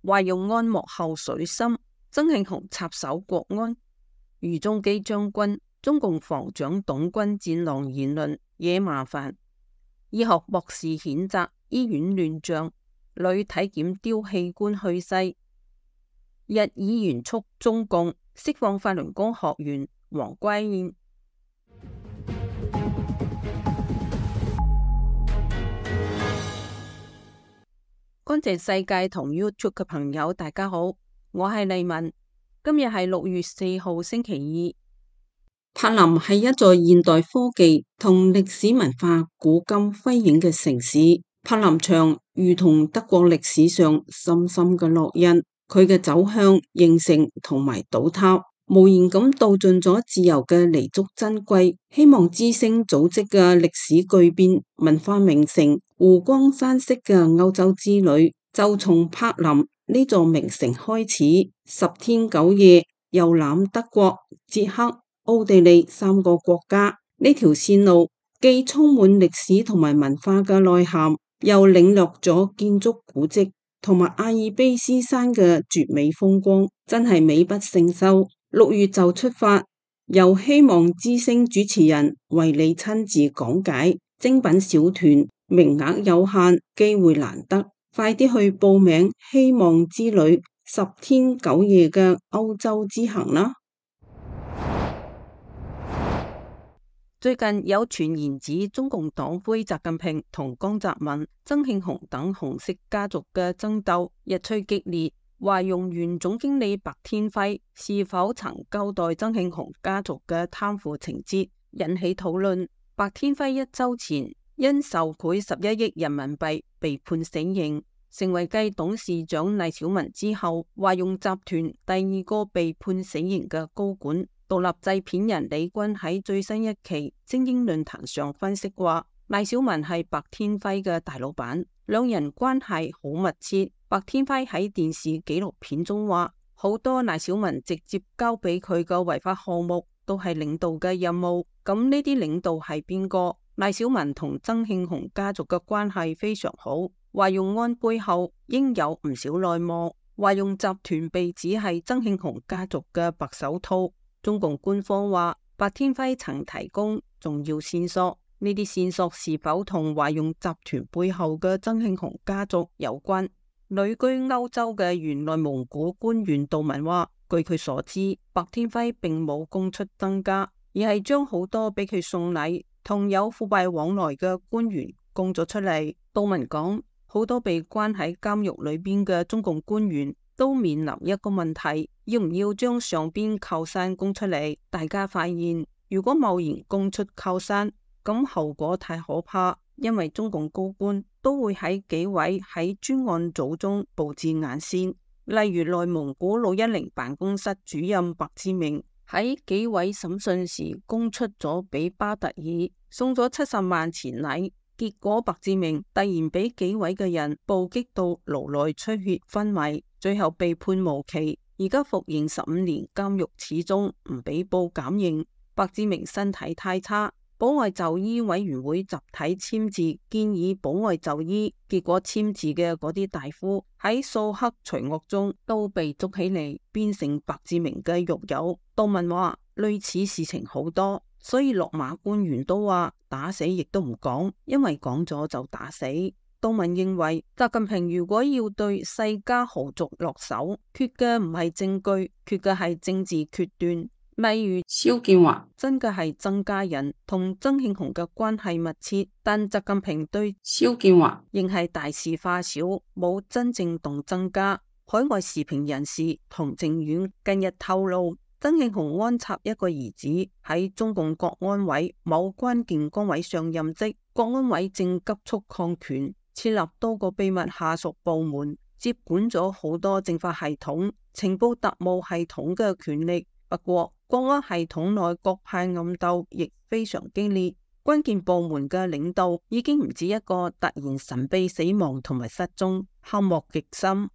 話要安幕後水深，曾慶紅插手國安。俞中基將軍、中共防長董軍戰狼言論惹麻煩。醫學博士譴責醫院亂象，女體檢丟器官去世。日議員促中共釋放法輪功學員黃歸燕。乾淨世界同 YouTube 嘅朋友，大家好，我係麗文。今日係6月4號星期二。柏林係一座現代科技同歷史文化古今輝映嘅城市。柏林牆如同德國歷史上深深嘅烙印，佢嘅走向、形成同埋倒塌，無言咁道盡咗自由嘅彌足珍貴。希望之聲組織嘅歷史巨變文化名城湖光山色嘅歐洲之旅，就從柏林呢座名城開始，10天9夜遊覽德國、捷克、奧地利3個國家。呢條線路既充滿歷史同埋文化嘅內涵，又領略咗建築古蹟同埋阿爾卑斯山嘅絕美風光，真係美不勝收。6月就出發，由希望之聲主持人為你親自講解。精品小團，名額有限，機會難得，快啲去報名希望之旅10天9夜嘅歐洲之行啦！最近有傳言指中共黨魁習近平同江澤民、曾慶紅等紅色家族嘅爭鬥日趨激烈，話用原總經理白天輝是否曾交代曾慶紅家族嘅貪腐情節引起討論。白天輝1週前因受賄11億人民幣被判死刑，成為繼董事長賴小民之後，話用集團第2個被判死刑嘅高管。獨立製片人李軍喺最新一期精英論壇上分析話，賴小民係白天輝嘅大老闆，兩人關係好密切。白天輝喺電視紀錄片中話，好多賴小民直接交俾佢嘅違法項目都係領導嘅任務。咁呢啲領導係邊個？賴小民同曾慶紅家族嘅關係非常好，話用安背後應有唔少內幕，話用集團被指係曾慶紅家族嘅白手套。中共官方話，白天輝曾提供重要線索，呢啲線索是否同華用集團背後嘅曾慶紅家族有關？旅居歐洲嘅原內蒙古官員杜文話，據佢所知，白天輝並冇供出增加，而係將好多俾佢送禮同有腐敗往來嘅官員供咗出嚟。杜文講，好多被關喺監獄裏邊嘅中共官員都面臨一個問題，要唔要將上邊靠山供出嚟？大家發現，如果貿然供出靠山，咁後果太可怕，因為中共高官都會喺紀委喺專案組中布置眼線。例如內蒙古610辦公室主任白志明喺紀委審訊時供出咗俾巴特爾送咗70萬錢禮，結果白志明突然俾紀委嘅人暴擊到顱內出血昏迷，最後被判無期，而家服刑15年監獄，始終唔俾報減刑。白志明身體太差，保外就醫委員會集體簽字建議保外就醫，結果簽字嘅嗰啲大夫喺掃黑除惡中都被捉起嚟，變成白志明嘅獄友。杜文話類似事情好多，所以落馬官員都話打死亦都唔講，因為講咗就打死。杜文認為，習近平如果要對世家豪族落手，缺嘅唔係證據，缺嘅係政治決斷。例如肖建華真嘅係曾家人同曾慶紅嘅關係密切，但習近平對肖建華仍係大事化小，冇真正動曾家。海外時評人士童正遠近日透露，曾慶紅安插一個兒子喺中共國安委某關鍵崗位上任職，國安委正急速擴權，設立多個秘密下屬部門，接管咗好多政法系統、情報特務系統嘅權力。不過，國安系統內各派暗鬥亦非常激烈，關鍵部門嘅領導已經唔止一個突然神秘死亡同埋失蹤，黑幕極深。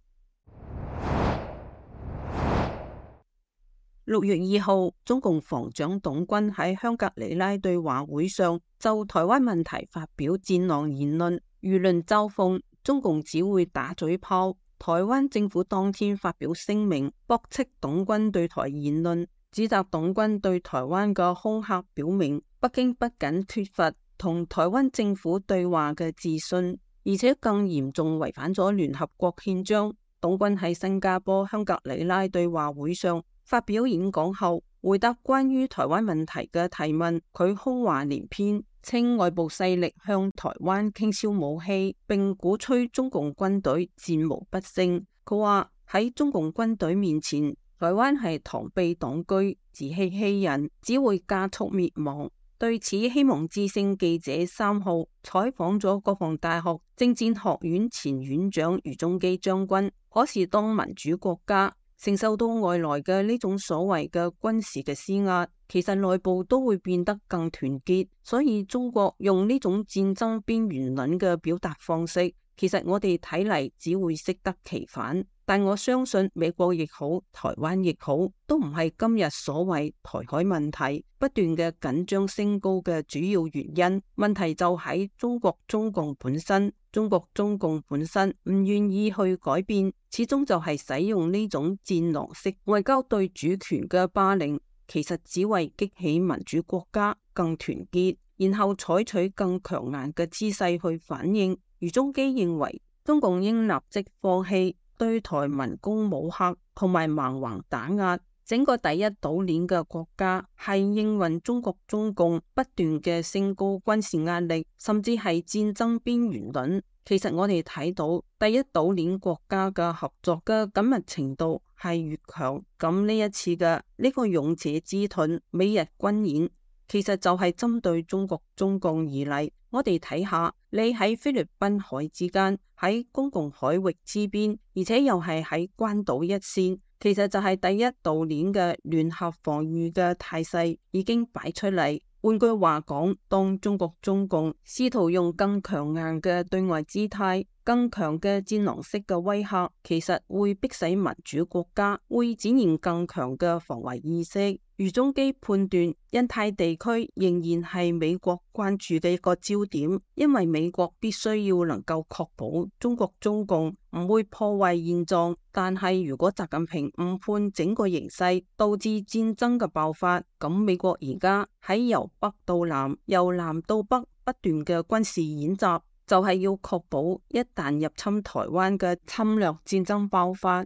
6月2號，中共防長董軍喺香格里拉對話會上就台灣問題發表戰狼言論，輿論嘲諷中共只會打嘴炮，台灣政府當天發表聲明，駁斥黨軍對台言論，指責黨軍對台灣嘅恐嚇，表明北京不僅缺乏同台灣政府對話嘅自信，而且更嚴重違反咗聯合國憲章。黨軍喺新加坡香格里拉對話會上發表演講後，回答關於台灣問題嘅提問，佢空話連篇，稱外部勢力向台灣傾銷武器，並鼓吹中共軍隊戰無不勝。佢話喺中共軍隊面前，台灣係螳臂擋車，自欺欺人，只會加速滅亡。對此，希望之聲記者3號採訪咗國防大學政戰學院前院長余宗基將軍，可是當民主國家承受到外來嘅呢種所謂嘅軍事嘅施壓，其實內部都會變得更團結。所以中國用呢種戰爭邊緣論嘅表達方式，其實我哋睇嚟只會適得其反。但我相信美國亦好，台灣亦好，都唔係今日所謂台海問題不斷嘅緊張升高嘅主要原因。問題就喺中國中共本身。中國中共本身唔願意去改變，始終就係使用呢種戰狼式外交對主權嘅霸凌，其實只為激起民主國家更團結，然後採取更強硬嘅姿勢去反應。余宗基認為中共應立即放棄對台文攻武嚇同埋蠻橫打壓，整個第一島鏈嘅國家係應允中國中共不斷嘅升高軍事壓力，甚至係戰爭邊緣論。其實我哋睇到第一島鏈國家嘅合作嘅緊密程度係越強，咁呢一次嘅呢個勇者之盾美日軍演，其實就係針對中國中共而嚟。我哋睇下，你喺菲律賓海之間，喺公共海域之邊，而且又係喺關島一線，其實就係第一島鏈嘅聯合防禦嘅態勢已經擺出嚟。換句話講，當中國中共試圖用更強硬嘅對外姿態、更強嘅戰狼式嘅威嚇，其實會迫使民主國家會展現更強嘅防衛意識。余宗基判斷，印太地區仍然係美國關注嘅一個焦點，因為美國必須要能夠確保中國中共唔會破壞現狀。但係如果習近平誤判整個形勢，導致戰爭嘅爆發，咁美國而家喺由北到南、由南到北不斷嘅軍事演習，就係要確保一旦入侵台灣嘅侵略戰爭爆發，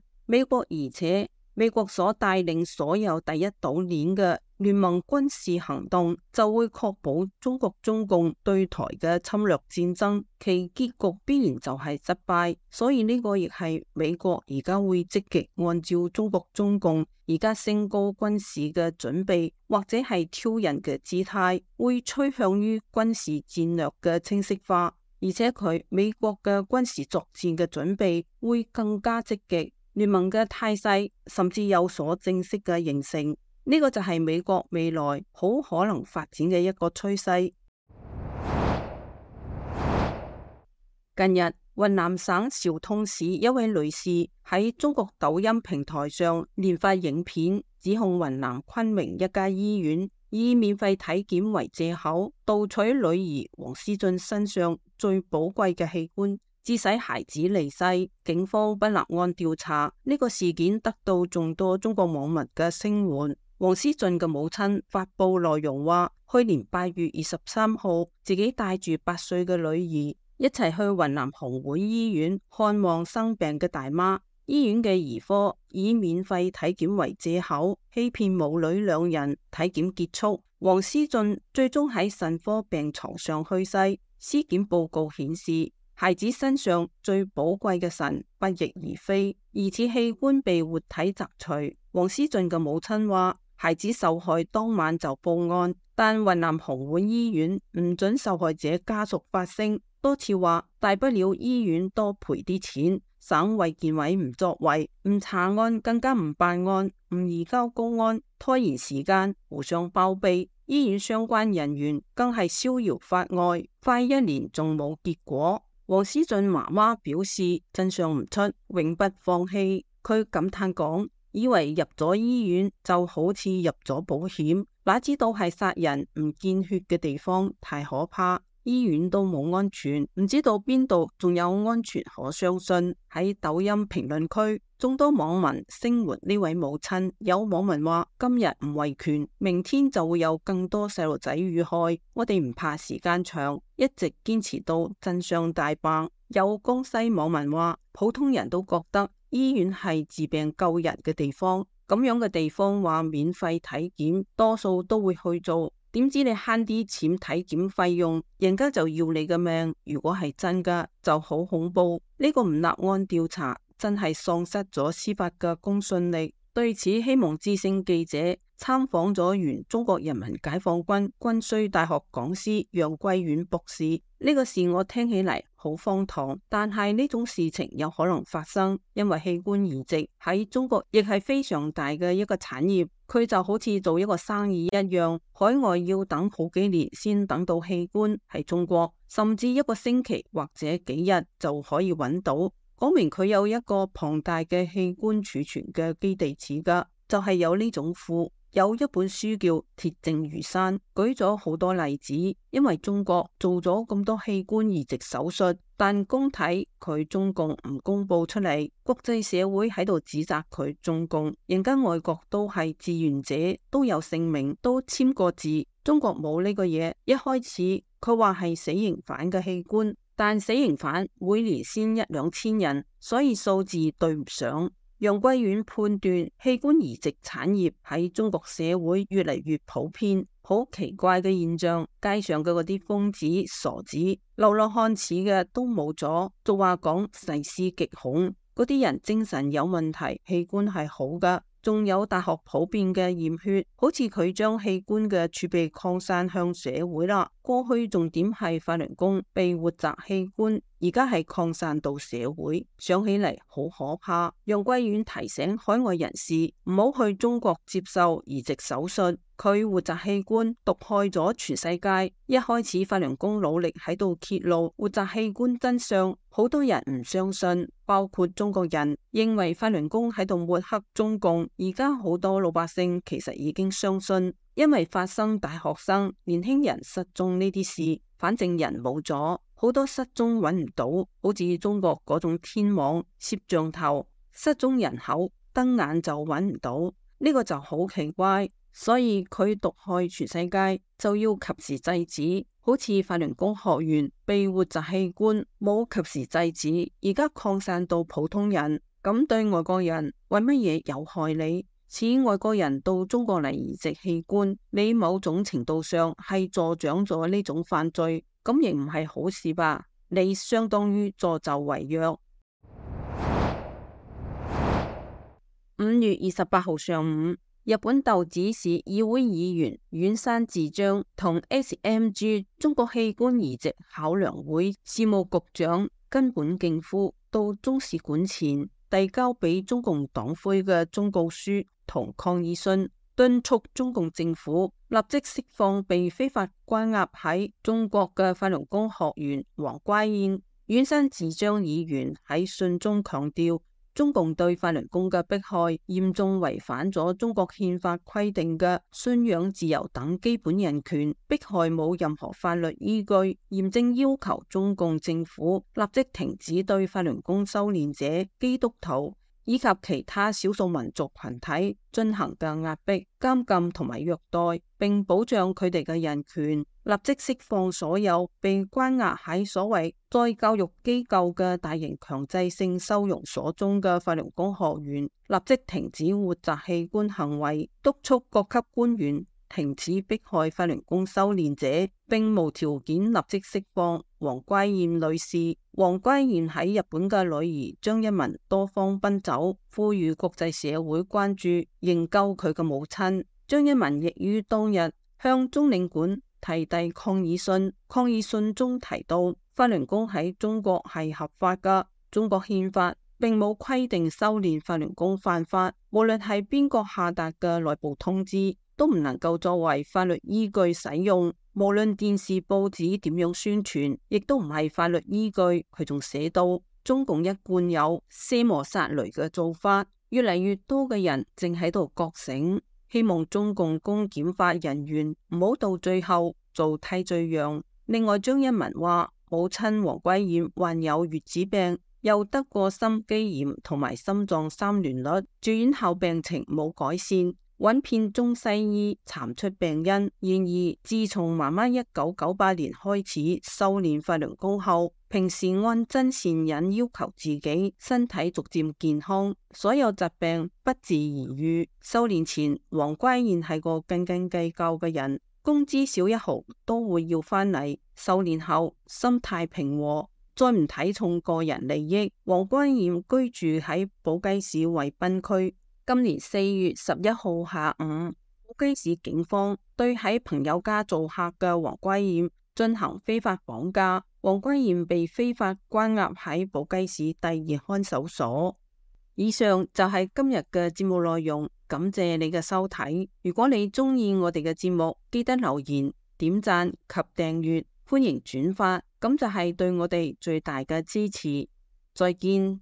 美國所帶領所有第一島鏈嘅聯盟軍事行動，就會確保中國中共對台嘅侵略戰爭，其結局必然就係失敗。所以呢個亦係美國而家會積極按照中國中共而家升高軍事嘅準備，或者係挑釁嘅姿態，會趨向於軍事戰略嘅清晰化，而且美國嘅軍事作戰嘅準備會更加積極。聯盟嘅態勢甚至有所正式嘅形成，呢個就係美國未來好可能發展嘅一個趨勢。近日，雲南省昭通市一位女士喺中國抖音平台上連發影片，指控雲南昆明一家醫院以免費體檢為借口，盜取女兒王思俊身上最寶貴嘅器官，致使孩子離世。警方不立案調查，呢個事件得到眾多中國網民嘅聲援。王思俊嘅母親發布內容話，去年8月23號，自己帶住8歲嘅女兒一齊去雲南紅會醫院看望生病嘅大媽。醫院嘅兒科以免費體檢為借口，欺騙母女2人。體檢結束，王思俊最終喺腎科病床上去世。屍檢報告顯示，孩子身上最寶貴嘅腎不翼而飛，疑似器官被活體摘除。王思俊嘅母親話，孩子受害當晚就報案，但雲南紅會醫院唔准受害者家屬發聲，多次話大不了醫院多賠啲錢。省衛健委唔作為，唔查案，更加唔辦案，唔移交公安，拖延時間，互相包庇。醫院相關人員更係逍遙法外，快1年仲冇結果。王思俊媽媽表示，真相唔出，永不放棄。佢感嘆講，以為入咗醫院就好似入咗保險，哪知道係殺人唔見血嘅地方太可怕。醫院都冇安全，唔知道邊度仲有安全可相信。喺抖音評論區，眾多網民聲援呢位母親。有網民話：今日唔維權，明天就會有更多細路仔遇害。我哋唔怕時間長，一直堅持到真相大白。有江西網民話：普通人都覺得醫院係治病救人嘅地方，咁樣嘅地方話免費體檢，多數都會去做。點知你慳啲錢體檢費用，人家就要你嘅命。如果係真㗎，就好恐怖。呢個唔立案調查，真係喪失咗司法嘅公信力。對此，希望之聲記者參訪咗原中國人民解放軍軍需大學講師楊貴遠博士。呢個事我聽起嚟好荒唐，但係呢種事情有可能發生，因為器官移植喺中國亦係非常大嘅一個產業。佢就好似做一個生意一樣，海外要等好幾年先等到器官，喺中國甚至一個星期或者幾日就可以揾到。講明佢有一個龐大嘅器官儲存嘅基地似噶，就係有呢種庫。有一本書叫《鐵證如山》，舉咗好多例子。因為中國做咗咁多器官移植手術，但公體佢中共唔公布出嚟，國際社會喺度指責佢中共。人家外國都係志願者，都有姓名，都簽過字。中國冇呢個嘢。一開始佢話係死刑犯嘅器官，但死刑犯每年先1、2千人，所以數字對唔上。楊貴遠判斷器官移植產業喺中國社會越嚟越普遍，好奇怪嘅現象。街上嘅嗰啲瘋子、傻子、流浪漢似嘅都冇咗，俗話講細思極恐，嗰啲人精神有問題，器官係好㗎。仲有大學普遍嘅驗血，好似佢將器官嘅儲備擴散向社會啦。過去重點係法輪功被活摘器官，而家係擴散到社會，想起嚟好可怕。楊貴遠提醒海外人士唔好去中國接受移植手術，佢活摘器官毒害咗全世界。一開始法輪功努力喺度揭露活摘器官真相，好多人唔相信，包括中國人認為法輪功喺度抹黑中共。而家好多老百姓其實已經相信，因為發生大學生、年輕人失蹤呢啲事，反正人冇咗，好多失蹤揾唔到，好似中國嗰種天網攝像頭，失蹤人口瞪眼就揾唔到，呢個就好奇怪。所以佢毒害全世界，就要及時制止。好似法輪功學員被活摘器官，冇及時制止，而家擴散到普通人，咁對外國人為乜嘢有害你？似外國人到中國嚟移植器官，你某種程度上係助長咗呢種犯罪，咁亦唔係好事吧？你相當於助紂為虐。5月28號上午，日本豆子市議會議員遠山智章同 SMG 中國器官移植考量會事務局長根本敬夫到中使館前遞交俾中共黨魁嘅忠告書同抗議信，敦促中共政府立即釋放被非法關押喺中國嘅法輪功學員王乖彥。遠山智章議員喺信中強調，中共對法輪功嘅迫害嚴重違反咗中國憲法規定嘅信仰自由等基本人權，迫害冇任何法律依據，嚴正要求中共政府立即停止對法輪功修煉者、基督徒以及其他少數民族群體進行嘅壓迫、監禁同埋虐待，並保障佢哋嘅人權。立即釋放所有被關押喺所謂再教育機構嘅大型強制性收容所中嘅法輪功學員，立即停止活摘器官行為，督促各級官員停止迫害法輪功修煉者，並無條件立即釋放王乖彥女士。王乖彥喺日本嘅女兒張一文多方奔走，呼籲國際社會關注營救佢嘅母親。張一文亦於當日向中領館提遞抗議信，抗議信中提到法輪功喺中國係合法噶，中國憲法並冇規定修煉法輪功犯法，無論係邊個下達嘅內部通知，都唔能夠作為法律依據使用。無論電視報紙點樣宣傳，亦都唔係法律依據。佢仲寫到，中共一貫有卸磨殺驢嘅做法，越嚟越多嘅人正喺度覺醒。希望中共公檢法人員唔好到最後做替罪羊，另外，張一文話，母親黃桂燕患有月子病，又得過心肌炎同埋心臟三聯律，住院後病情冇改善，揾遍中西醫查唔出病因。然而，自從媽媽1998年開始修煉法輪功後，平時按真善忍要求自己，身體逐漸健康，所有疾病不治而愈。修煉前，黃桂燕係個斤斤計較嘅人，工資少一毫都會要返嚟。修煉後，心態平和，再唔睇重個人利益。黃桂燕居住喺寶雞市惠濱區。今年4月11號下午，寶雞市警方對喺朋友家做客嘅黃桂燕進行非法綁架，黃桂燕被非法關押喺寶雞市第2看守所。以上就係今日嘅節目內容，感謝你嘅收睇。如果你鍾意我哋嘅節目，記得留言、點讚及訂閱，歡迎轉發，咁就係對我哋最大嘅支持。再見。